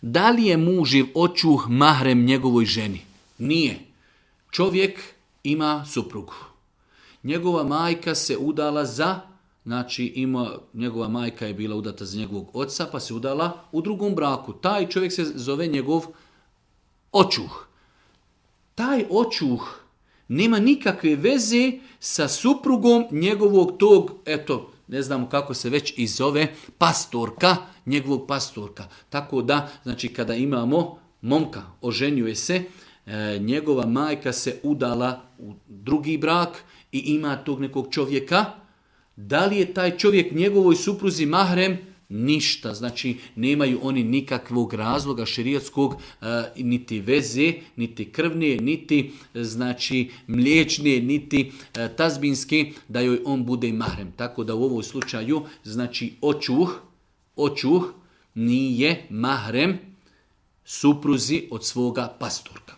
Da li je muživ očuh mahrem njegovoj ženi? Nije. Čovjek ima suprugu. Njegova majka se udala njegova majka je bila udata za njegovog oca, pa se udala u drugom braku. Taj čovjek se zove njegov očuh. Taj očuh nema nikakve veze sa suprugom njegovog tog, ne znamo kako se već i zove, pastorka, njegovog pastorka. Tako da, kada imamo momka, oženjuje se, njegova majka se udala u drugi brak i ima tog nekog čovjeka. Da li je taj čovjek njegovoj supruzi mahrem? Ništa. Nemaju oni nikakvog razloga šerijatskog, niti veze, niti krvne, niti mliječne, niti tazbinske, da joj on bude mahrem. Tako da u ovom slučaju, očuh nije mahrem supruzi od svoga pastorka.